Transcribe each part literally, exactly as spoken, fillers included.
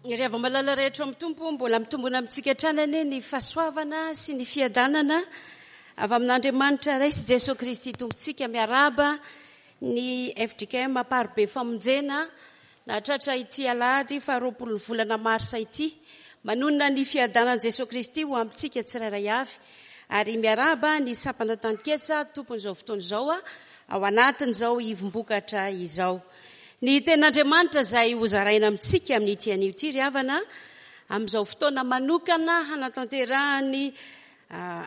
Ry hava-malala rehetra amin'ny Tompo, mbola mitombona amintsika hatrany anie ny fahasoavana sy ny fiadanana avy amin'Andriamanitra Ray sy Jesoa Kristy Tompontsika. Miarahaba ny F D K M Amparibe Famonjena nahatratra ity alahady faharoapolo ny volana marsa ity. Manonona ny fiadanan'i Jesoa Kristy ho amintsika tsirairay avy. Ary miarahaba ny sampana Taniketsa tompon'izao fotoana izao ao anatin'izao ivom-bokatra izao. Ny tenin'Andriamanitra izay hozaraina amintsika amin'ity anio ity ry havana, amin'izao fotoana manokana hanatanterahany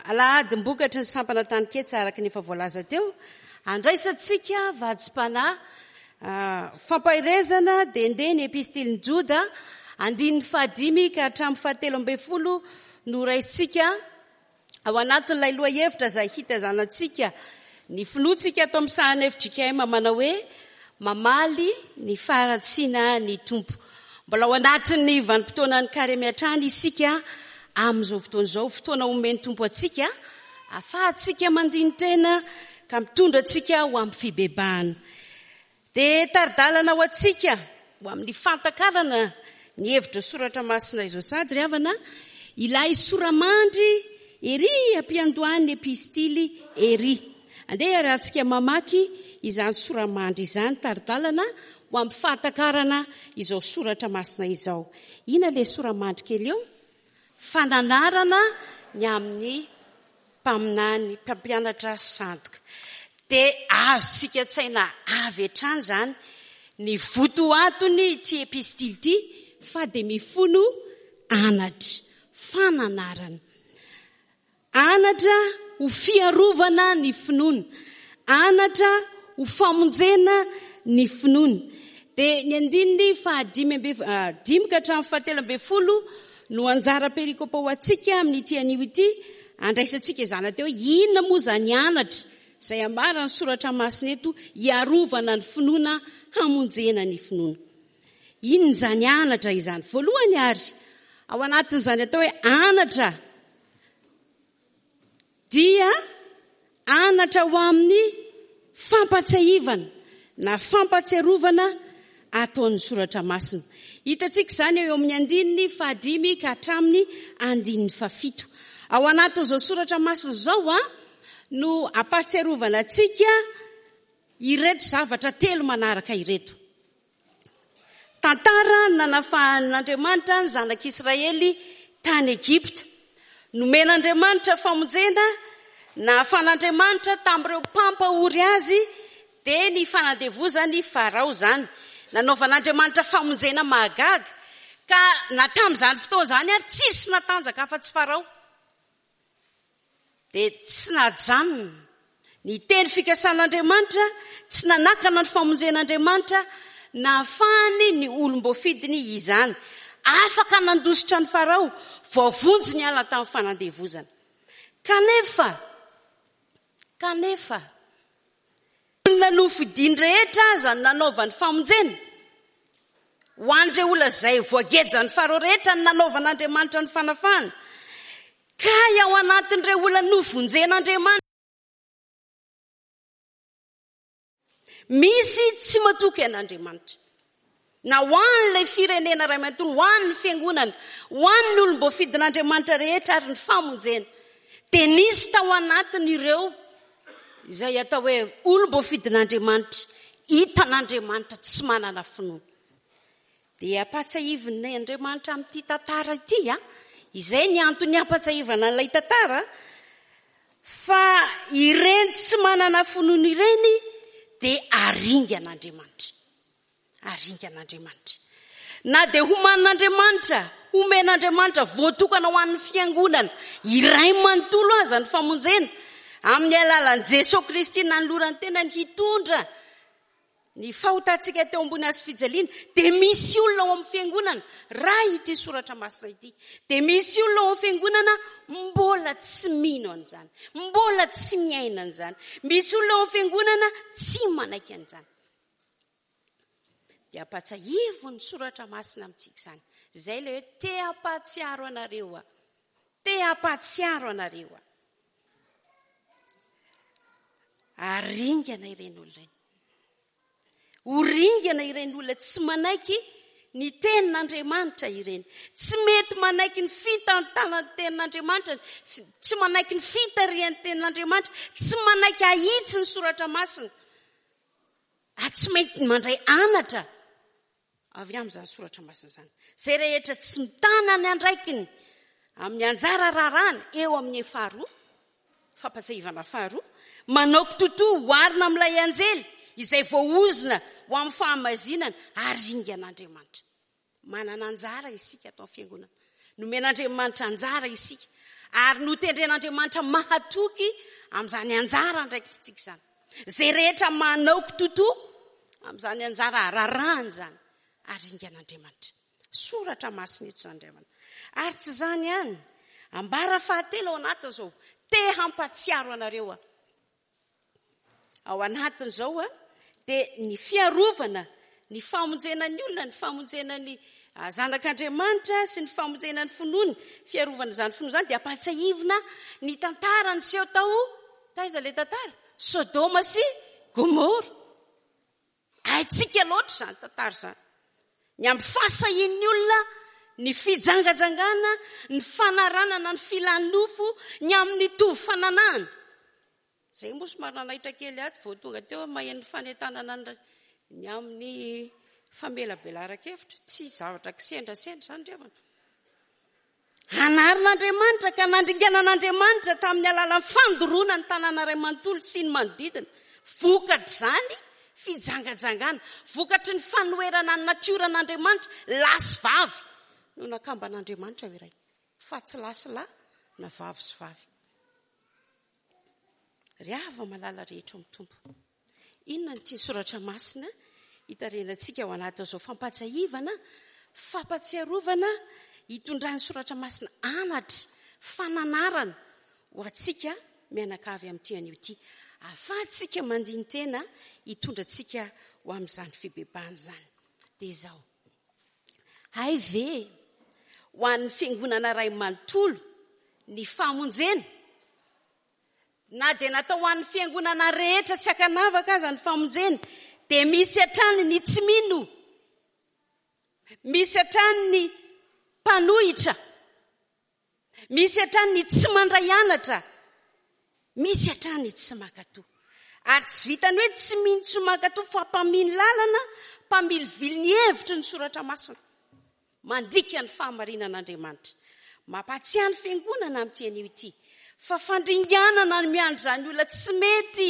alahadim-bokatry ny sampana Taniketsa araka ny efa voalaza teo, andraisantsika vatsim-panahy fampaherezana dia ndeha ny epistilin'i Joda andininy fahadimy ka hatramin'ny fahatelo ambin'ny folo no raisintsika ao anatin'ilay lohahevitra izay hitazanantsika ny finoantsika ato amin'ny sahan'ny F J K M manao hoe mamaly ny faharatsiana ny Tompo. Mbola ao anatin'ny vanim-potoanan'ny karemy hatrany isika amin'izao fotoana izao, fotoana omen'ny Tompo antsika ahafahantsika mandini-tena ka mitondra antsika ho amin'ny fibebahana. Dia tari-dalana ho antsika ho amin'ny fantakarana ny hevitra soratra masina izao sady ry havana, ilay soramandry ery ampiandohan'ny epistily ery. Andeha iarahantsika mamaky izany soramandry izany, tari-dalana ho amin'ny fahatakarana izao soratra masina izao. Inona ilay soramandry kely eo? Fananarana ny amin'ny mpaminany, mpampianatra sandoka. Dia azontsika an-tsaina avy hatrany izany ny votoatony ity epistily ity, fa dia mifono anatra, fananarana. Anatra ho fiarovana ny finoana, anatra ho famonjena ny finoana. Dia ny andininy fahadimy amby, ah, dimy ka hatramin'ny fahatelo ambin'ny folo no anjara perikopa ho antsika amin'ity anio ity, andraisantsika izany teo hoe inona moa izany anatra izay ambaran'ny soratra masina eto hiarovana ny finoana, hamonjena ny finoana. Inona izany anatra izany? Voalohany ary, ao anatin'izany atao hoe anatra dia anatra ho amin'ny fampatsiahivana na fampatsiarovana ataon'ny soratra masina. Hitantsika izany eo amin'ny andininy fahadimy ka hatramin'ny andininy fahafito. Ao anatin'izao soratra masina izao a no ampatsiarovana antsika ireto zavatra telo manaraka ireto. Tantara nanafahan'Andriamanitra ny zanak'Israely tany Egypta. Nomen'Andriamanitra famonjena, nahafan'Andriamanitra tamin'ireo mpampahory azy, dia ny fanandevozany Farao izany. Nanaovan'Andriamanitra famonjena mahagaga, ka na tamin'izany fotoana izany ary tsisy natanjaka afa-tsy Farao. Dia tsy najanona ny teny fikasan'Andriamanitra, tsy nanakana ny famonjen'Andriamanitra, nahafahany ny olom-boafidiny izany. Afaka nandositra ny Farao, voavonjy niala tamin'ny fanandevozana. Kanefa, kanefa, olona nofidiny rehetra aza no nanaovany famonjena. Ho an'ireo olona izay voagejan'ny Farao rehetra no nanaovan'Andriamanitra ny fanafahana. Kay ao anatin'ireo olona novonjen'Andriamanitra, misy tsy matoky an'Andriamanitra. Na ho an'ilay firenena ray manontolo, ho an'ny fiangonana, ho an'ny olom-boafidin'Andriamanitra rehetra ary ny famonjena, dia nisy tao anatin'ireo izay atao hoe olom-boafidin'Andriamanitra, hitan'Andriamanitra tsy manana finoana. Dia ampatsiahivin'ny Andriamanitra amin'ity tantara ity, a, izay ny antony ampatsiahivana an'ilay tantara, fa ireny tsy manana finoana ireny dia aringan'Andriamanitra. Aringan'Andriamanitra. Na dia homanin'Andriamanitra, homen'Andriamanitra voatokana ho an'ny fiangonana iray manontolo aza ny famonjena, amin'ny alalan'i Jesoa Kristy nanolorany tenany hitondra ny fahotantsika teo ambony hazo fijaliana, dia misy olona ao amin'ny fiangonana, raha ity soratra masina ity, dia misy olona ao amin'ny fiangonana mbola tsy mino an'izany, mbola tsy miaina an'izany, misy olona ao amin'ny fiangonana tsy manaiky an'izany. Dia ampatsiahivo ny soratra masina amintsika izany. Izay ilay hoe te hampahatsiaro anareo aho. Te hampahatsiaro anareo aho. Aringana ireny olona ireny. Ho ringana ireny olona tsy manaiky ny tenin'Andriamanitra ireny. Tsy mety manaiky ny fitantanan'ny tenin'Andriamanitra, tsy manaiky ny fitarihan'ny tenin'Andriamanitra, tsy manaiky ahitsy ny soratra masina. Ary tsy mety mandray anatra avy amin'izany soratra masina izany. Izay rehetra tsy mitana ny andraikiny amin'ny anjara raharahany eo amin'ny faharoa, fampatsiahivana faharoa, manao kitotoa oharina amin'ilay anjely izay voaozona ho amin'ny fahamazinana ary ringan'Andriamanitra. Manana anjara isika ato amin'ny fiangonana. Nomen'Andriamanitra anjara isika ary notendren'Andriamanitra mahatoky amin'izany anjara andraikitritsika izany. Izay rehetra manao kitotoa amin'izany anjara raharahany izany ary ringan'Andriamanitra. Soratra masina eto izany ry havana. Ary tsy izany ihany, ambara fahatelo ao anatin'izao, te hampatsiaro anareo aho. Ao anatin'izao dia ny fiarovana, ny famonjena ny olona, ny famonjena ny zanak'Andriamanitra sy ny famonjena ny finoany, fiarovana izany finoana izany dia ampahatsiahivina ny tantara niseho tao, taiza ilay tantara? Sodoma sy Gomora. Haintsika loatra izany tantara izany. Ny amin'ny fahasahian'ny olona, ny fijangajangana, ny fanaranana ny filan'ny nofo, ny amin'ny tovy fananahana. Izay moa somary nanaitra kely aty vao tonga teo maheno fanentanana ny amin'ny famelabelaran-kevitra. Tsy zavatra kisendrasendra izany ry havana. Hanarin'Andriamanitra ka nandringanan'Andriamanitra tamin'ny alalan'ny fandoroana ny tanàna iray manontolo sy ny manodidina. Vokatr'izany fijangajangana, vokatry ny fanoherana ny natioran'Andriamanitra, lahy sy vavy no nakamban'Andriamanitra ho iray, fa tsy lahy sy lahy na vavy sy vavy. Ry hava-malala rehetra ao amin'ny Tompo, inona no tian'ny Soratra Masina hitarehinantsika ao anatin'izao fampahatsiahivana, fampahatsiarovana hitondran'ny Soratra Masina anatra, fananarana ho antsika mianakavy amin'ity anio ity, ahafahantsika mandini-tena hitondra antsika ho amin'izany fibebahana izany. Dia izao, hay ve ho an'ny fiangonana iray manontolo ny famonjena? Na dia natao ho an'ny fiangonana rehetra tsy ankanavaka aza ny famonjena, dia misy hatrany ny tsy mino, misy hatrany ny mpanohitra, misy hatrany ny tsy mandray anatra, misy hatrany ny tsy mankatò. Ary tsy vitan'ny hoe tsy mino tsy mankatò fa mpamily lalana, mpamilivily ny hevitry ny soratra masina, mandika ny fahamarinan'Andriamanitra. Mampahatsiahy ny fiangonana amin'ity anio ity fa fandringanana ny miandry izany olona tsy mety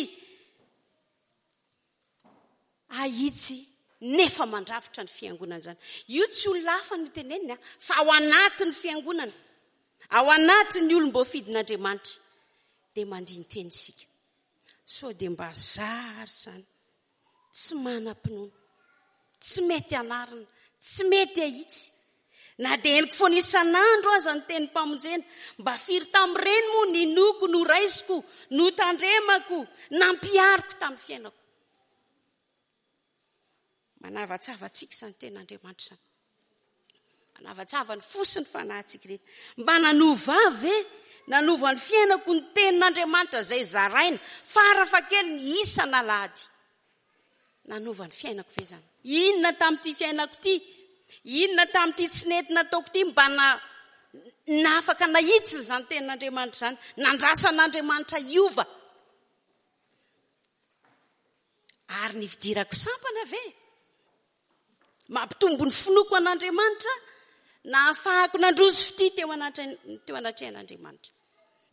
ahitsy nefa mandrafitra ny fiangonana izany. Io tsy olona hafa no teneniny fa ao anatin'ny fiangonana, ao anatin'ny olom-boafidin'Andriamanitra dia mandini-teny isika. Sao dia mba zary izany, tsy manam-pinoana, tsy mety anarina, tsy mety ahitsy. Na dia henoko foana isan'andro aza ny tenim-pamonjena, mba firy tamin'ireny moa ninoako, noraisiko, notandremako, nampihariko tamin'ny fiainako. Manavatsava antsika izany tenin'Andriamanitra izany. Manavatsava ny fo sy ny fanahintsika rehetra. Mba nanova ahy ve? Nanova ny fiainako ny tenin'Andriamanitra izay zaraina farafahakeliny isan'alahady. Nanova ny fiainako ve izany? Inona tamin'ity fiainako ity? Inona tamin'ity tsy nety nataoko ity mba na nafaka nahitsy izany tenin'Andriamanitra izany? Nandrasan'Andriamanitra hiova. Ary ny fidirako sampana ve? Mampitombo ny finoako an'Andriamanitra nahafahako nandroso fitia teo anatre-, teo anatrehan'Andriamanitra.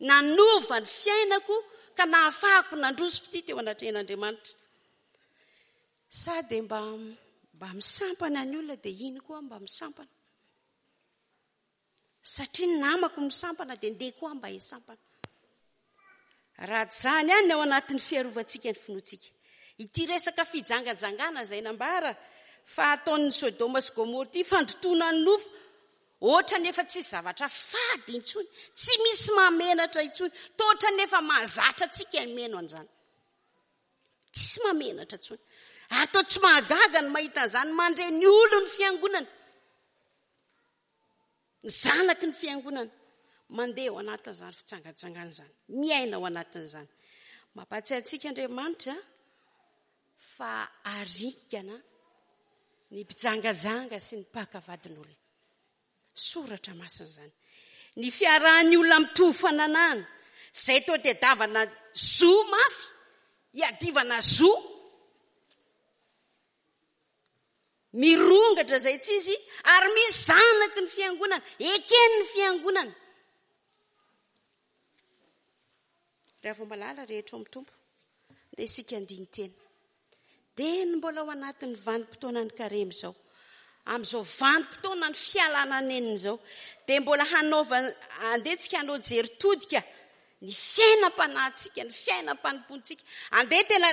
Nanova ny fiainako ka nahafahako nandroso fitia teo anatrehan'Andriamanitra. Sa dia mba, mba misampana ny olona dia iny koa mba misampana. Satria ny namako misampana dia ndeha koa mba hisampana. Raha tsy izany ihany ny ao anatin'ny fiarovantsika ny finoantsika. Ity resaka fijangajangana izay nambara fa ataon'ny Sodoma sy Gomora ity, fandotoana ny nofo, ohatran'ny efa tsisy zavatra fady intsony, tsy misy mahamenatra intsony, toa ohatran'ny efa mahazatra antsika ny mino an'izany. Tsisy mahamenatra intsony. Ary toa tsy mahagaga ny mahita an'izany mandre ny olon'ny fiangonana. Ny zanaky ny fiangonana mandeha ao anatin'izany fijangajangana izany, miaina ao anatin'izany. Mampahatsiahy antsika Andriamanitra fa haringana Ny mpijangajanga sy ny mpaka vadin'olona. Soratra masina izany. Ny fiarahan'ny olona mitovy fananahana, izay toa tadiavana zo mafy, iadivana zo. Mirongatra izay tsy izy, ary misy zanaky ny fiangonana, eken'ny fiangonana. Raha vao malala rehetra ao amin'ny Tompo, dia isika andinin-tena. Dia ny mbola ao anatin'ny vanim-potoanan'ny karemy izao, amin'izao vanim-potoanan'ny fialana nenina izao, dia mbola hanaova, andeha tsika hanao jery todika ny fiainam-panahintsika, ny fiainam-panompoantsika. Andeha tena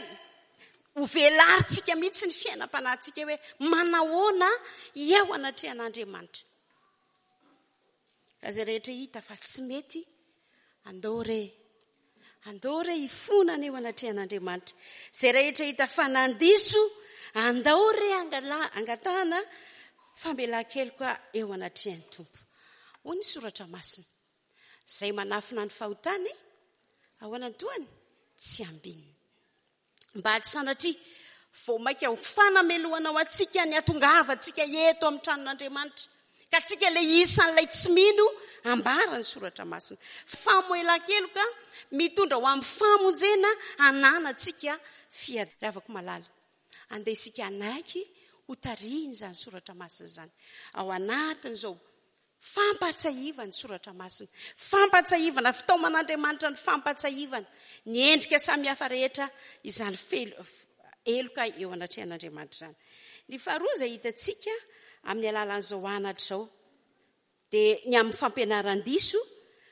ho velarintsika mihitsy ny fiainam-panahintsika hoe manahoana eo anatrehan'Andriamanitra. Ka izay rehetra hita fa tsy mety, andao re, andao re hifonana eo anatrehan'Andriamanitra. Izay rehetra hita fa nandiso, andao re angala-, angatahana famelan-keloka eo anatrehan'ny Tompo. Hoy ny soratra masina, izay manafina ny fahotany ao anantohany tsy ambininy. Mba tsy sanatria vao mainka ho fanamelohana ho antsika ny hatongavantsika eto amin'ny tranon'Andriamanitra. Ka tsika ilay isan'ilay tsy mino ambara ny soratra masina. Famoelan-keloka mitondra ho amin'ny famonjena ananantsika fiadiana. Ravako malala, andeha isika hanaiky ho tarihina izany soratra masina izany. Ao anatin'izao fampahatsiahivana ny soratra masina, fampahatsiahivana fitaoman'Andriamanitra ny fampahatsiahivana ny endrika samihafa rehetra izany fel-, heloka eo anatrehan'Andriamanitra izany. Ny faharoa izay hitantsika amin'ny alalan'izao anatra izao dia ny amin'ny fampianaran-diso,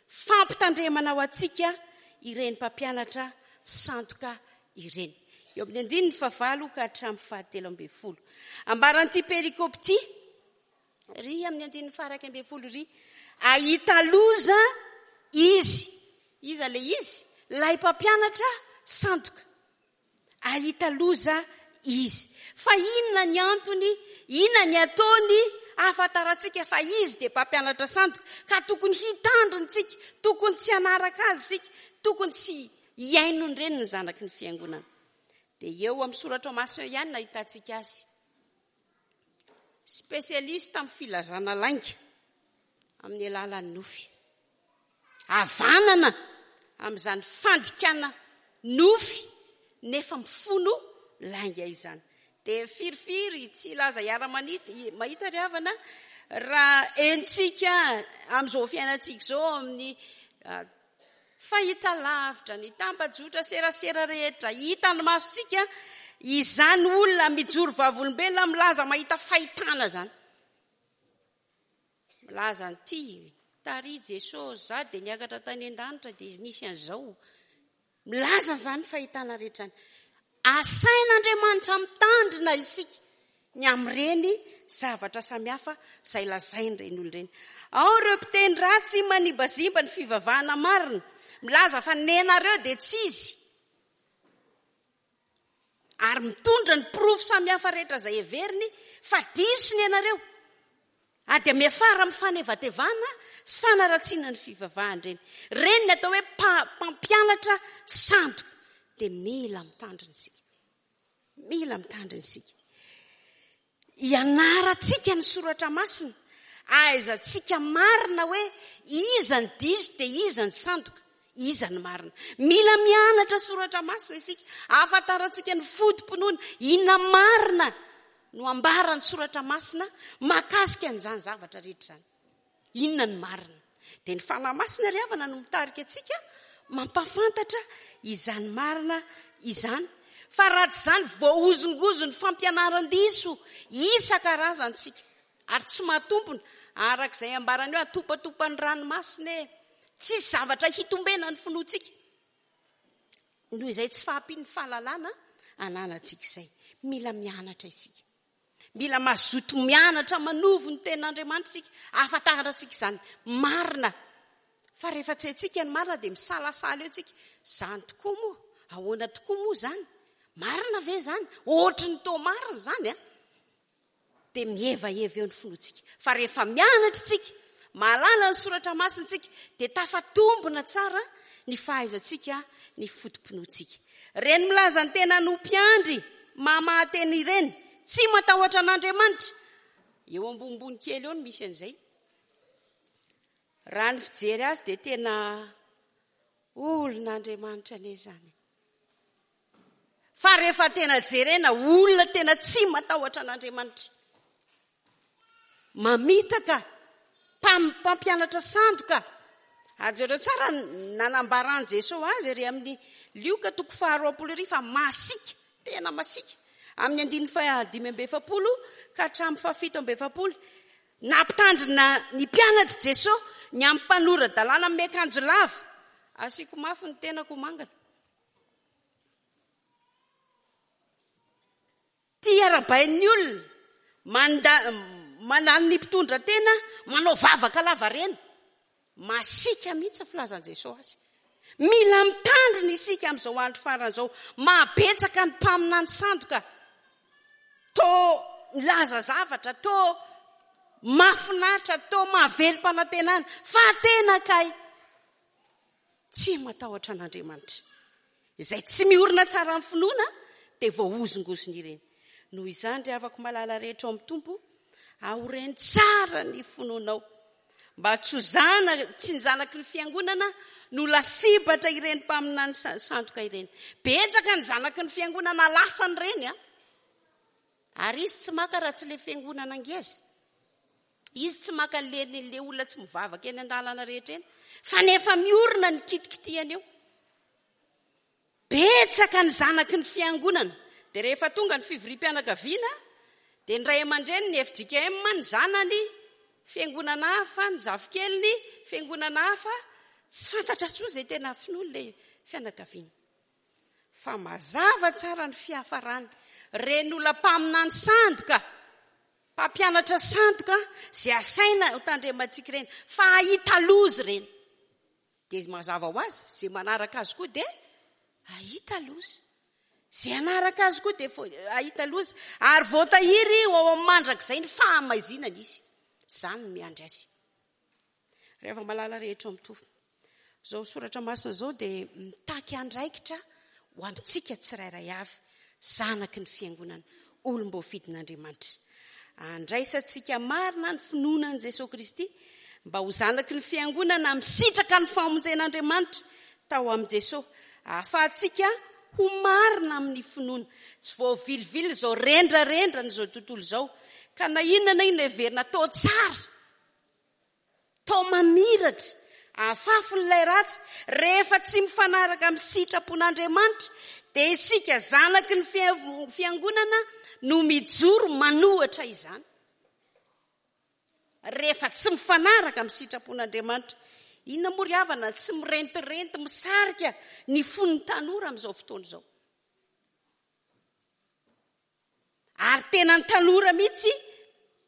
fampitandremana ho antsika ireny mpampianatra sandoka ireny. Eo amin'ny andininy fahavalo ka hatramin'ny fahatelo ambin'ny folo. Ambaran'ity perikopa ity, ry amin'ny andininy faha-iraika ambin'ny folo ry, ahita loza izy. Iza ilay izy? Ilay mpampianatra sandoka. Ahita loza izy. Fa inona ny antony, inona ny ataony ahafantarantsika fa izy dia mpampianatra sandoka, ka tokony hitandrina isika, tokony tsy hanaraka azy isika, tokony tsy hihaino ny reniny zanaky ny fiangonana. Dia eo amin'ny soratra masina eo ihany nahitantsika azy. Spesialista amin'ny filazana lainga amin'ny alalan'ny nofy. Havanana amin'izany fandikana nofy nefa mifono lainga izany. Dia firifiry tsy hilaza hiara-manita, mahita ry havana, raha entsika amin'izao fiainantsika izao amin'ny, ah, fahita lavitra, ny tambajotra serasera rehetra, hita ny masontsika izany olona mijoro vavolombelona milaza mahita fahitana izany. Milaza an'ity, tary Jesosy, za dia niakatra tany an-danitra dia izy nisy an'izao. Milaza izany fahitana rehetra izany. Asain'Andriamanitra mitandrina isika ny amin'ireny zavatra samihafa izay lazain'ireny olona ireny. Ao ireo mpiteny ratsy manimbazimba ny fivavahana marina, milaza fa nenareo dia tsy izy. Ary mitondra ny porofo samihafa rehetra izay heveriny fa diso ny anareo. Ary dia miafara amin'ny fanevatevana sy fanaratsiana ny fivavahana ireny. Ireny ny atao hoe mpa-, mpampianatra sandoka. Dia mila mitandrina isika. Mila mitandrina isika. Ianarantsika ny soratra masina. Ahaizantsika marina hoe iza ny diso dia iza ny sandoka, iza ny marina. Mila mianatra soratra masina isika. Ahafantarantsika ny foto-pinoana. Inona marina no ambaran'ny soratra masina mahakasika an'izany zavatra rehetra izany. Inona ny marina? Dia ny Fanahy Masina ry havana no mitarika antsika mampahafantatra izany marina izany. Fa raha tsy izany, voahozongozon'ny fampianaran-diso isan-karazany isika. Ary tsy mahatompona, araka izay ambarany hoe atopatopan'ny ranomasina e. Tsisy zavatra hitombena ny finoantsika. Noho izay tsy fahampian'ny fahalalana ananantsika izay. Mila mianatra isika. Mila mazoto mianatra manovo ny tenin'Andriamanitra isika. Ahafantarantsika izany marina. Fa rehefa tsy haintsika ny marina dia misalasala eo tsika. Izany tokoa moa? Ahoana tokoa moa izany? Marina ve izany? Ohatry ny toa marina izany, a? Dia mihevaheva eo ny finoantsika. Fa rehefa mianatra isika, mahalala ny soratra masina isika, dia tafatombina tsara ny fahaizantsika ny foto-pinoantsika. Ireny milaza ny tena no mpiandry mamaha teny ireny, Tsy matahotra an'Andriamanitra. Eo ambonimbony kely eo no misy an'izay. Raha ny fijery azy dia tena olon'Andriamanitra anie izany. Fa rehefa tena jerena, olona tena tsy matahotra an'Andriamanitra. Mamitaka, mpampianatra sandoka. Ary jereo tsara nanambaran'i Jesoa azy ery amin'ny Lioka toko faharoapolo ery fa masiaka, tena masiaka. Amin'ny andininy fahadimy amby efapolo ka hatramin'ny fahafito amby efapolo. Nampitandrina ny mpianatr'i Jesoa ny amin'ny mpanora-dalàna amin'ny akanjo lava. Asiako mafy ny tenako ho mangana. Tia arahabain'ny olona, manda-, mandany ny mpitondra tena, manao vavaka lavareny. Masiaka mihitsy ny filazan'i Jesoa azy. Mila mitandrina isika amin'izao andro farany izao. Mahabetsaka ny mpaminany sandoka. To milaza zavatra, to mahafinaritra, to mahavelom-panantenana, fa tena kay tsy matahotra an'Andriamanitra. Izay tsy miorina tsara amin'ny finoana dia voahozongozona ireny. Noho izany, ry havako malala rehetra ao amin'ny Tompo, aoreno tsara ny finoanao. Mba tsy ho zana-, tsy ny zanaky ny fiangonana no lasibatra ireny mpaminany sandoka ireny. Betsaka ny zanaky ny fiangonana lasany ireny, a. Ary izy tsy maka raha tsy le fiangonana ngeza. Izy tsy maka le, le olona tsy mivavaka eny an-dalana rehetra eny. Fa nefa miorina ny kitikitihany eo. Betsaka ny zanaky ny fiangonana. Dia rehefa tonga ny fivoriam-pianakaviana, dia ny ray aman-dreny ny F J K M, ny zanany, fiangonana hafa, ny zafikeliny, fiangonana hafa, tsy fantatra intsony izay tena finoany ilay fianakaviana. Fa mazava tsara ny fiafarany. Ireny olona mpaminany sandoka, mpampianatra sandoka, izay asaina ho tandremantsika ireny, fa hahita loza ireny. Dia mazava ho azy, izay manaraka azy koa dia hahita loza. Izay hanaraka azy koa dia hahita loza. Ary voatahiry ho ao amin'ny mandrakizay ny fahamaizinana izy. Izany no miandry azy. Rehefa malala rehetra ao mitovy. Izao soratra masina izao dia mitaky andraikitra ho amintsika tsirairay avy, zanaky ny fiangonana, olom-boafidin'Andriamanitra. Andraisantsika marina ny finoana an'i Jesoa Kristy mba ho zanaky ny fiangonana misitraka ny famonjen'Andriamanitra tao amin'i Jesoa. Ahafahantsika ho marina amin'ny finoana. Tsy voavilivily izao rendrarendra an'izao tontolo izao. Ka na inona na inona heverina atao tsara, atao mamiratra, ahafafin'ilay ratsy, rehefa tsy mifanaraka amin'ny sitrapon'Andriamanitra, dia isika zanaky ny fiangonana no mijoro manohatra izany. Rehefa tsy mifanaraka amin'ny sitrapon'Andriamanitra, inona moa ry havana tsy mirentirenty misarika ny fon'ny tanora amin'izao fotoana izao. Ary tena ny tanora mihitsy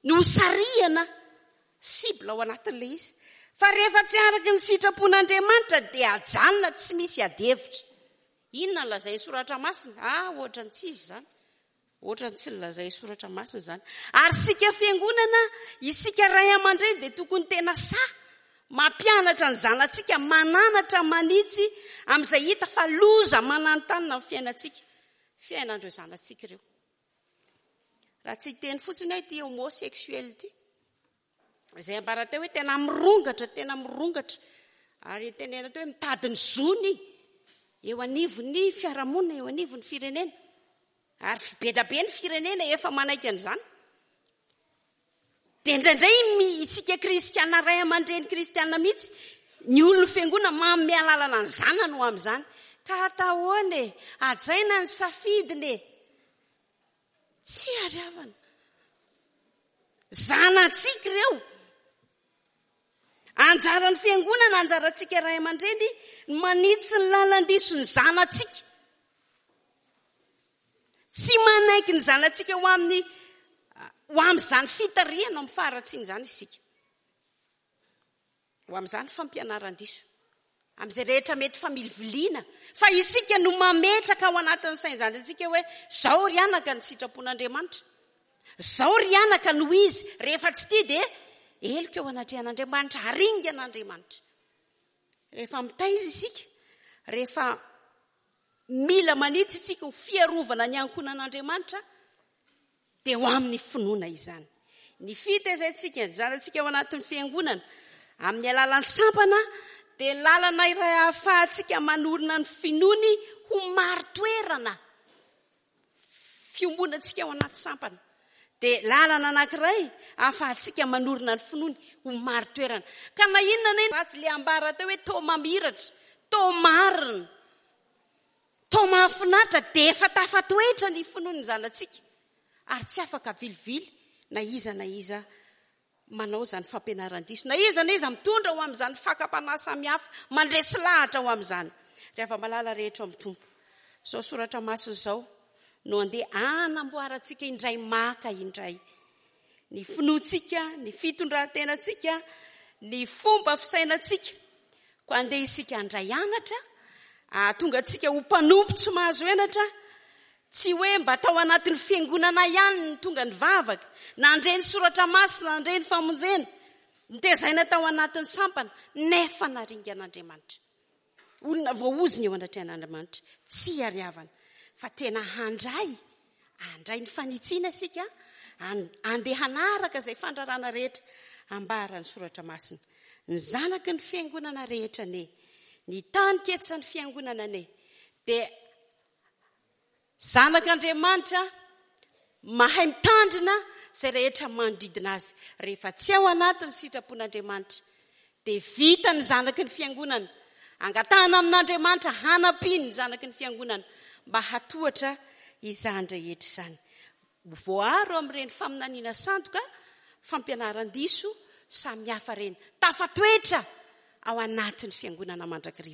no sarihana cible ao anatin'ilay izy. Fa rehefa tsy araka ny sitrapon'Andriamanitra dia ajanona tsy misy adihevitra. Inona no lazain'ny soratra masina? Ah, ohatran'ny tsy izy izany. Ohatran'ny tsy lazain'ny soratra masina izany. Ary isika fiangonana, isika ray aman-dreny dia tokony tena sahy mampianatra ny zanatsika, mananatra manitsy amin'izay hita fa loza mananontanona amin'ny fiainantsika, fiainan'ireo zanatsika ireo. Raha tsy hiteny fotsiny aho ity homosexuel ity, izay ambara teo hoe tena mirongatra, tena mirongatra, ary tenena teo hoe mitady ny zony eo anivon'ny fiarahamonina, eo anivon'ny firenena. Ary be dia be ny firenena efa manaiky an'izany. Dia indraindray isika kristiana, ray aman-dreny kristiana mihitsy, ny olon'ny fiangonana manome alalana ny zanany ho amin'izany. Ka atao ahoana e? Hajaina ny safidiny e. Tsy ary havana. Zanatsika ireo. Anjaran'ny fiangonana, anjarantsika ray aman-dreny ny manitsy ny lalan-diso ny zanatsika. Tsy manaiky ny zanatsika ho amin'ny, ho amin'izany fitarihana amin'ny faharatsiana izany isika. Ho amin'izany fampianaran-diso. Amin'izay rehetra mety familiviliana. Fa isika no mametraka ao anatin'ny sain'izany antsika hoe zao ry anaka ny sitrapon'Andriamanitra. Zao ry anaka no izy. Rehefa tsy tia dia heloka eo anatrehan'Andriamanitra, haringan'Andriamanitra. Rehefa mitaiza isika, rehefa mila manitsy isika ho fiarovana ny ankohonan'Andriamanitra, Dia ho amin'ny finoana izany. Ny fitezaintsika ny zanatsika ao anatin'ny fiangonana amin'ny alalan'ny sampana dia lalana iray ahafahantsika manorina ny finoany ho marin-toerana. Fiombonantsika ao anaty sampana dia lalana anankiray ahafahantsika manorina ny finoany ho marin-toerana. Ka na inona na inona ratsy le ambara teo hoe toa mamiratra, toa marina, toa mahafinaritra, dia efa tafatoetra ny finoan'ny zanatsika ary tsy afaka vilivily na iza na iza manao izany fampianaran-diso, na iza na iza mitondra ho amin'izany fakam-panahy samihafa, mandresy lahatra ho amin'izany. Ry hava-malala rehetra ao amin'ny Tompo, izao soratra masina izao no andeha hanamboarantsika indray maka indray ny finoantsika, ny fitondran-tenantsika, ny fomba fisainantsika. Koa andeha isika handray anatra, hahatonga antsika ho mpanompo tsy mahazo henatra, tsy hoe mba tao anatin'ny fiangonana ihany ny tonga nivavaka, nandre ny soratra masina, nandre ny famonjena, nitezaina tao anatin'ny sampana, nefa naringan'Andriamanitra. Olona voaozona eo anatrehan'Andriamanitra, tsy hariavana, fa tena handray, handray ny fanitsiana isika, handeha hanaraka izay fandrarana rehetra ambaran'ny soratra masina. Ny zanaky ny fiangonana rehetra anie, ny tany ketsan'ny fiangonana anie, dia zanak'Andriamanitra mahay mitandrina izay rehetra manodidina azy. Rehefa tsy ao anatin'ny sitrapon'Andriamanitra, dia vita ny zanaky ny fiangonana. Angatahana amin'Andriamanitra hanampiany ny zanaky ny fiangonana mba hatohatra izany rehetra izany. Voaaro amin'ireny faminaniana sandoka, fampianaran-diso samihafa ireny. Tafatoetra ao anatin'ny fiangonana mandrakariva.